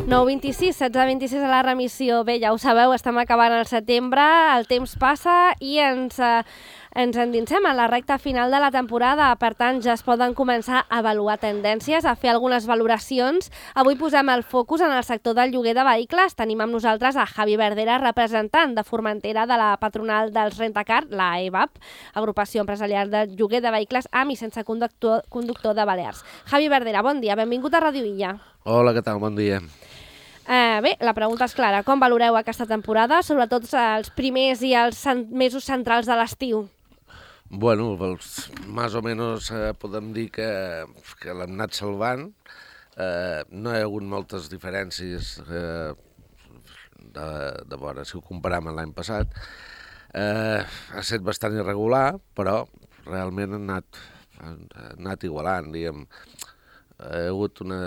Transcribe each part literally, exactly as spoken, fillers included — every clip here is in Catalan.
nou vint-i-sis, setze vint-i-sis a la remissió. Bé, ja ho sabeu, estem acabant el setembre, el temps passa i ens, eh, ens endinsem a la recta final de la temporada. Per tant, ja es poden començar a avaluar tendències, a fer algunes valoracions. Avui posem el focus en el sector del lloguer de vehicles. Tenim amb nosaltres a Javi Verdera, representant de Formentera de la patronal dels Rentacar, la E B A P, Agrupació Empresarial de Lloguer de Vehicles amb i sense conductor, conductor de Balears. Javi Verdera, bon dia, benvingut a Ràdio Illa. Hola, què tal? Bon dia. Eh, bé, la pregunta és clara. Com valoreu aquesta temporada, sobretot els primers i els mesos centrals de l'estiu? Bueno, doncs, més o menys eh, podem dir que, que l'hem anat salvant. Eh, no hi ha hagut moltes diferències eh, de, de veure, si ho comparem amb l'any passat. Eh, ha estat bastant irregular, però realment ha anat, ha anat igualant, diguem. Ha hagut una...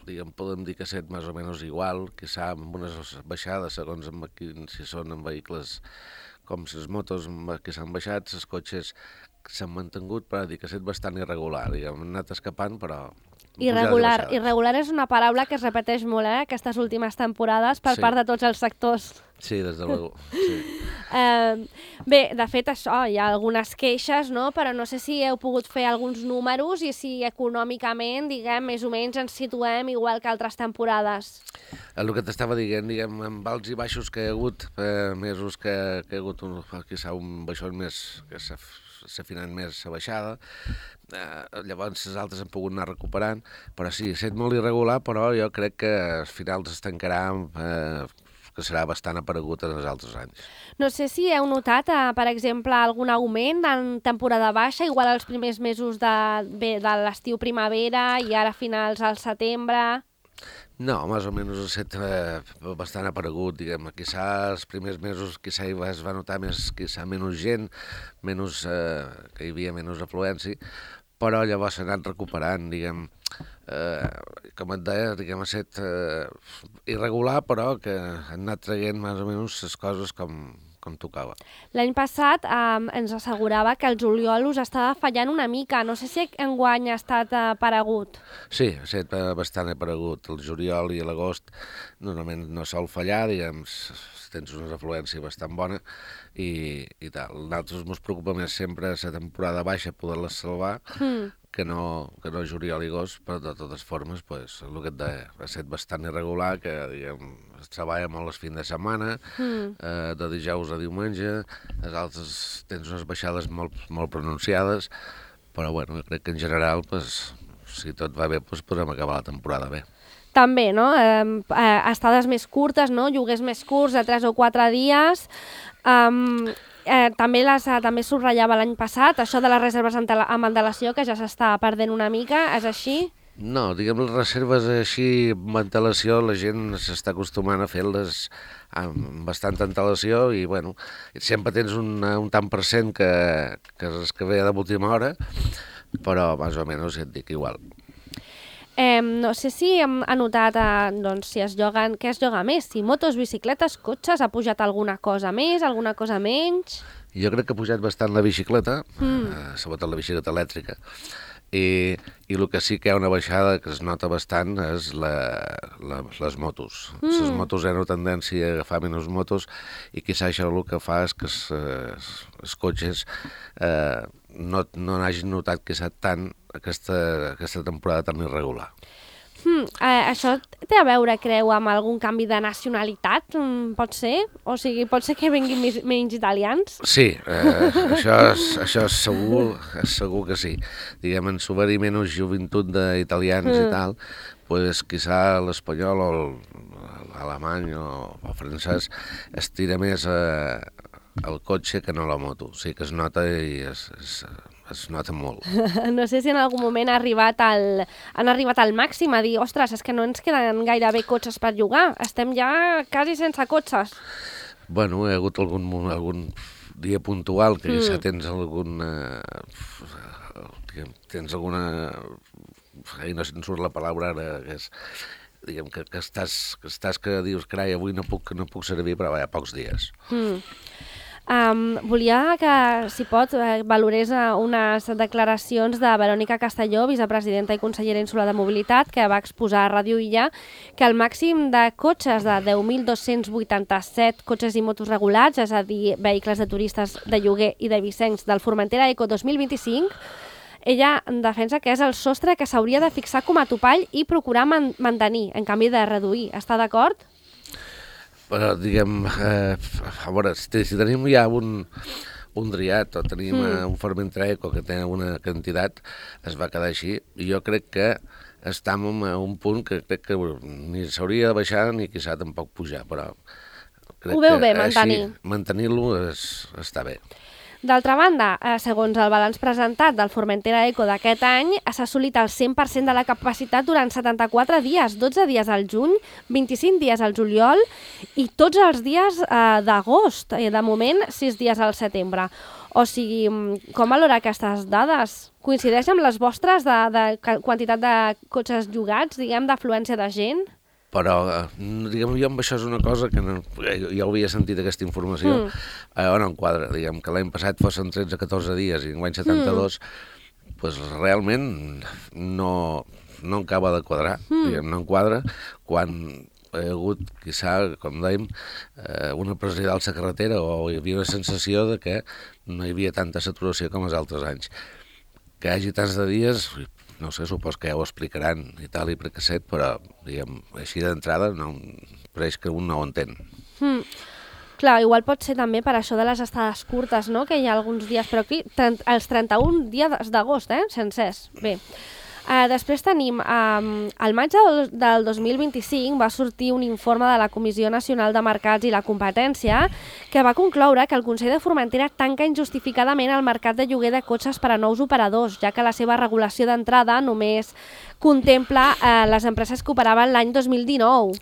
diguem, podem dir que ha estat més o menys igual, quizà amb unes baixades, segons amb, si són en vehicles com les motos que s'han baixat, els cotxes s'han mantingut, però dir que ha estat bastant irregular, diguem, han anat escapant, però... Irregular, irregular és una paraula que es repeteix molt, eh, aquestes últimes temporades per sí. part de tots els sectors. Sí, des de luego, sí. eh, bé, de fet, això, hi ha algunes queixes, no? Però no sé si heu pogut fer alguns números i si econòmicament, diguem, més o menys ens situem igual que altres temporades. El que t'estava dient, diguem, amb alts i baixos que hi ha hagut, eh, mesos que, que hi ha hagut un, quizà un baixón més, que s'ha afinat més la baixada, eh, llavors les altres han pogut anar recuperant, però sí, ha estat molt irregular, però jo crec que al final es tancarà eh, que serà bastant aparegut en els altres anys. No sé si heu notat, eh, per exemple, algun augment en temporada baixa, igual als primers mesos de, bé, de l'estiu-primavera i ara finals al setembre... No, més o menys ha estat eh, bastant aparegut, diguem. Quizà els primers mesos quizà es va notar més, quizà menys gent, menys, eh, que hi havia menys afluència, però llavors s'ha anat recuperant, diguem. Eh, com et deia, diguem, ha estat eh, irregular, però que han anat traient més o menys les coses com... com tocava. L'any passat eh, ens assegurava que el juliol us estava fallant una mica. No sé si enguany ha estat aparegut. Sí, ha estat bastant aparegut. El juliol i l'agost normalment no sol fallar, diguem, tens una afluència bastant bona i, i tal. Nosaltres ens preocupa més sempre la temporada baixa poder-la salvar, mm. que no, que no juliol i agost, però de totes formes, pues, el que et deia, ha estat bastant irregular, que diguem, es treballa molt els fins de setmana, mm. eh, de dijous a diumenge, les altres tens unes baixades molt, molt pronunciades, però bueno, crec que en general, pues, si tot va bé, pues, podrem acabar la temporada bé. També, no? Eh, eh, estades més curtes, no? Lloguers més curts, de tres o quatre dies... Um, Eh, també, les, eh, també subratllava l'any passat, això de les reserves amb antelació, que ja s'està perdent una mica, és així? No, diguem, les reserves així amb antelació, la gent s'està acostumant a fer-les amb bastanta antelació i, bueno, sempre tens un, un tant per cent que, que és que ve d'última hora, però més o menys et dic igual. Eh, no sé si hem anotat eh, doncs, si es lloguen, què es lloga més, si motos, bicicletes, cotxes, ha pujat alguna cosa més, alguna cosa menys? Jo crec que ha pujat bastant la bicicleta, mm. eh, sobretot la bicicleta elèctrica, i, i el que sí que hi ha una baixada que es nota bastant és la, la, les motos. Mm. Les motos hi ha una tendència a agafar menys motos i quizà això el que fa és que els, els cotxes eh, no, no n'hagin notat que s'ha tant aquesta, aquesta temporada tan irregular. Hmm, eh, això té a veure, creu, amb algun canvi de nacionalitat, mm, pot ser? O sigui, pot ser que vinguin més, menys italians? Sí, eh, això, és, això és segur, és segur que sí. Diguem, en s'obrir menys joventut d'italians mm. i tal, pues, quizà l'espanyol o l'alemany o el francès es tira més eh, al cotxe que no a la moto. O sigui que es nota i es... es es nota molt. No sé si en algun moment ha arribat al, han arribat al màxim a dir, ostres, és que no ens queden gairebé cotxes per llogar, estem ja quasi sense cotxes. Bueno, hi ha hagut algun, algun dia puntual que mm. ja tens alguna... tens alguna... Ai, no se'n surt la paraula ara, que és... diguem, que, que, estàs, que estàs que dius, carai, avui no puc, no puc servir, però va, hi ha pocs dies. Mm. Um, volia que, si pot, eh, valorés uh, unes declaracions de Verònica Castelló, vicepresidenta i consellera insular de Mobilitat, que va exposar a Ràdio Illa que el màxim de cotxes de deu mil dos-cents vuitanta-set cotxes i motos regulats, és a dir, vehicles de turistes de lloguer i de vicencs del Formentera Eco dos mil vint-i-cinc, ella defensa que és el sostre que s'hauria de fixar com a topall i procurar man mantenir, en canvi de reduir. Està d'acord? Però, diguem, eh, a veure, si, si tenim ja un, un Driat o tenim mm. un Formentera Eco que té una quantitat, es va quedar així. I jo crec que estem a un punt que crec que ni s'hauria de baixar ni quizà tampoc pujar, però crec Ho veu que bé, mantenir. mantenir-lo està bé. D'altra banda, eh, segons el balanç presentat del Formentera Eco d'aquest any, s'ha assolit el cent per cent de la capacitat durant setanta-quatre dies, dotze dies al juny, vint-i-cinc dies al juliol i tots els dies eh, d'agost, i de moment sis dies al setembre. O sigui, com valora aquestes dades? Coincideix amb les vostres de, de quantitat de cotxes llogats, diguem, d'afluència de gent? Però, diguem, jo amb això és una cosa que no, jo havia sentit aquesta informació, mm. eh, on enquadra, diguem, que l'any passat fossin tretze a catorze dies i enguany setanta-dos, mm. pues realment no, no acaba de quadrar, mm. diguem, no enquadra, quan hi ha hagut, quizà, com dèiem, eh, una pressió d'alça carretera o hi havia una sensació de que no hi havia tanta saturació com els altres anys. Que hi hagi tants de dies, no sé, supos que ja ho explicaran i tal i precasset, però, diguem, així d'entrada no, pareix que un no ho entén. Mm. Clar, igual pot ser també per això de les estades curtes, no?, que hi ha alguns dies, però aquí els trenta-un dies d'agost, eh?, sencers. Bé. Uh, després tenim, um, al maig del, del dos mil vint-i-cinc va sortir un informe de la Comissió Nacional de Mercats i la Competència que va concloure que el Consell de Formentera tanca injustificadament el mercat de lloguer de cotxes per a nous operadors, ja que la seva regulació d'entrada només contempla uh, les empreses que operaven l'any dos mil dinou.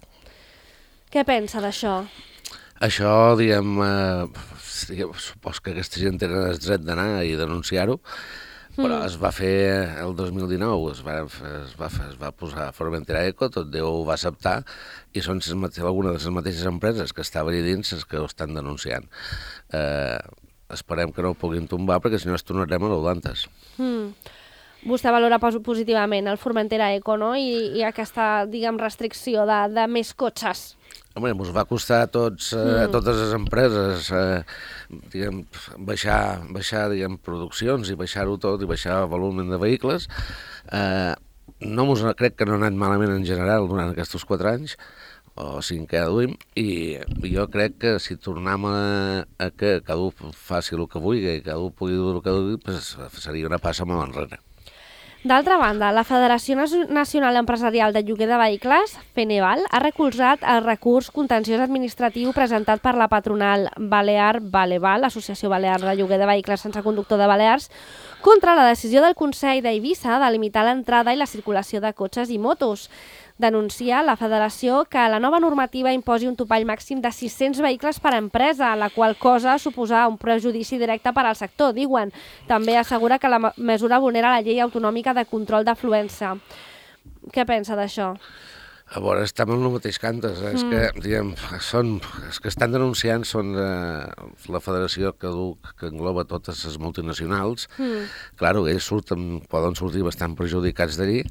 Què pensa d'això? Això, diguem, eh, diguem, supos que aquesta gent tenen el dret d'anar i denunciar-ho, però mm. es va fer el dos mil dinou, es va, es va, es va posar Formentera Eco, tot Déu ho va acceptar, i són algunes de les mateixes empreses que estaven allà dins les que ho estan denunciant. Eh, esperem que no ho puguin tombar, perquè si no es tornarem a l'Olantes. Mm. Vostè valora positivament el Formentera Eco, no?, I, i aquesta, diguem, restricció de, de més cotxes. Home, ens va costar a, tots, eh, a totes les empreses eh, diguem, baixar, baixar diguem, produccions i baixar-ho tot i baixar el volum de vehicles. Eh, no mos, crec que no ha anat malament en general durant aquests quatre anys, o cinc que duim, i jo crec que si tornem a, a que cada un faci el que vulgui i cada un pugui dur el que vulgui, pues seria una passa molt enrere. D'altra banda, la Federació Nacional Empresarial de Lloguer de Vehicles, Feneval, ha recolzat el recurs contenciós administratiu presentat per la patronal Balear Baleval, l'Associació Balear de Lloguer de Vehicles sense conductor de Balears, contra la decisió del Consell d'Eivissa de limitar l'entrada i la circulació de cotxes i motos. Denuncia la federació que la nova normativa imposi un topall màxim de sis-cents vehicles per empresa, la qual cosa suposa un prejudici directe per al sector, diuen. També assegura que la mesura vulnera la llei autonòmica de control d'afluència. Què pensa d'això? A veure, estem en el mateix cantes. Eh? Mm. És que, diguem, són, els que estan denunciant són eh, la federació que, du, que engloba totes les multinacionals. Mm. Claro, ells surten, poden sortir bastant perjudicats d'allí,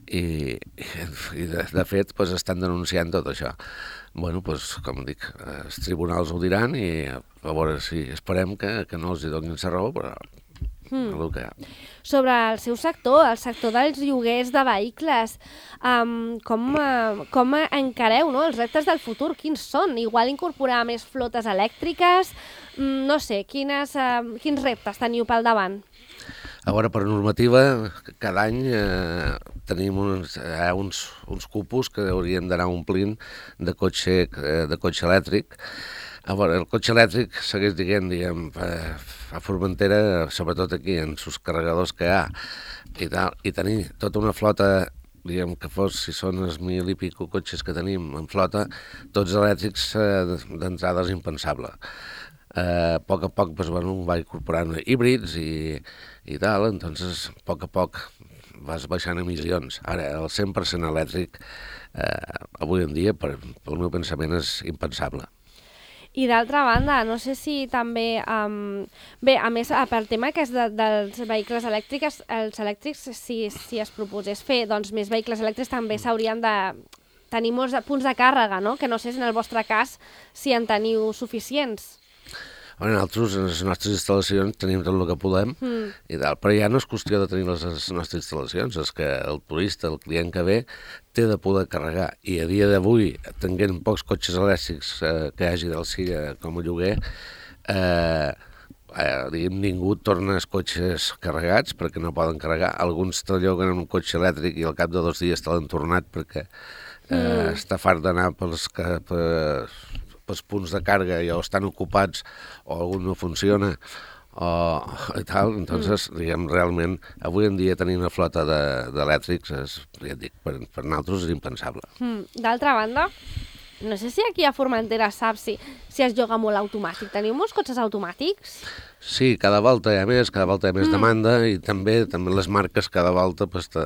i, i de, de fet pues, estan denunciant tot això. Bueno, pues, com dic, els tribunals ho diran i a veure si esperem que, que no els hi donin la raó, però mm. el que hi ha. Sobre el seu sector, el sector dels lloguers de vehicles, um, com, uh, com encareu, no?, els reptes del futur? Quins són? Igual incorporar més flotes elèctriques? Mm, no sé, quines, uh, quins reptes teniu pel davant? A veure, per normativa, cada any eh, tenim uns, eh, uns, uns cupos que hauríem d'anar omplint de cotxe, eh, de cotxe elèctric. A veure, el cotxe elèctric segueix dient, diguem, eh, a Formentera, sobretot aquí, en els carregadors que hi ha, i, tal, i tenir tota una flota, diguem, que fos, si són els mil i pico cotxes que tenim en flota, tots elèctrics eh, d'entrada és impensable. A poc a poc pues, bueno, va incorporant híbrids i, i tal, entonces a poc a poc vas baixant emissions. Ara, el cent per cent elèctric, eh, avui en dia, per, pel meu pensament, és impensable. I d'altra banda, no sé si també... Um, bé, a més, pel tema que és de, dels vehicles elèctrics, els elèctrics, si, si es proposés fer doncs, més vehicles elèctrics, també s'haurien de tenir molts punts de càrrega, no? Que no sé si en el vostre cas si en teniu suficients. Bueno, nosaltres, en les nostres instal·lacions, tenim tot el que podem, mm. i tal, però ja no és qüestió de tenir les, les nostres instal·lacions, és que el turista, el client que ve, té de poder carregar. I a dia d'avui, tenint pocs cotxes elèctrics eh, que hi hagi del Silla com a lloguer, eh, eh, diguem, ningú torna els cotxes carregats perquè no poden carregar. Alguns te lloguen un cotxe elèctric i al cap de dos dies te l'han tornat perquè eh, mm. està fart d'anar pels... Per, els punts de càrrega ja estan ocupats o algun no funciona o i tal, entonces, mm. diguem, realment, avui en dia tenir una flota d'elèctrics, de, ja et dic, per, per nosaltres és impensable. Mm. D'altra banda, no sé si aquí a Formentera saps si, si es lloga molt automàtic. Teniu molts cotxes automàtics? Sí, cada volta hi ha més, cada volta hi ha més mm. demanda i també també les marques cada volta pues, te,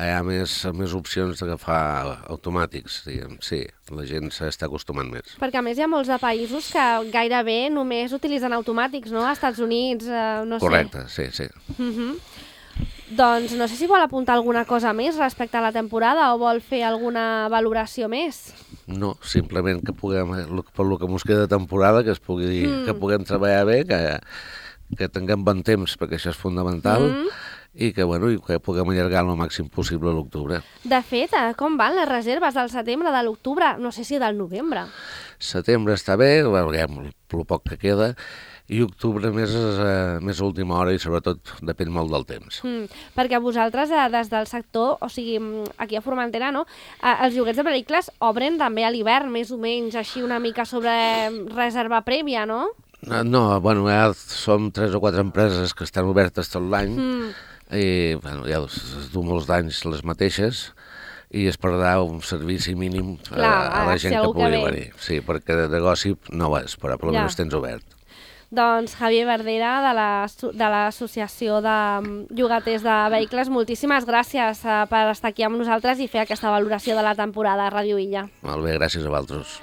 hi ha més, més opcions d'agafar automàtics, diguem. Sí, la gent s'està acostumant més. Perquè a més hi ha molts de països que gairebé només utilitzen automàtics, no? A Estats Units, eh, no Correcte, sé. sí, sí. Mm-hmm. Doncs no sé si vol apuntar alguna cosa més respecte a la temporada o vol fer alguna valoració més. No, simplement que puguem, per lo que ens queda de temporada, que, es pugui, mm. que puguem treballar bé, que, que tinguem bon temps, perquè això és fundamental, mm. i que, bueno, i que puguem allargar el màxim possible a l'octubre. De fet, com van les reserves del setembre, de l'octubre, no sé si del novembre? Setembre està bé, veurem el poc que queda, i octubre més, eh, més a última hora i sobretot depèn molt del temps. Mm, perquè vosaltres eh, des del sector, o sigui, aquí a Formentera, no? Eh, els lloguers de vehicles obren també a l'hivern, més o menys, així una mica sobre reserva prèvia, no? No, no bueno, ja som tres o quatre empreses que estan obertes tot l'any mm. i bueno, ja es du molts d'anys les mateixes i es perdrà un servici mínim Clar, a, a la gent si que pugui que venir. Sí, perquè de negoci no ho és, però per almenys ja. tens obert. Doncs Javier Verdera, de l'Associació de Llogaters de Vehicles, moltíssimes gràcies per estar aquí amb nosaltres i fer aquesta valoració de la temporada a Ràdio Illa. Molt bé, gràcies a vosaltres.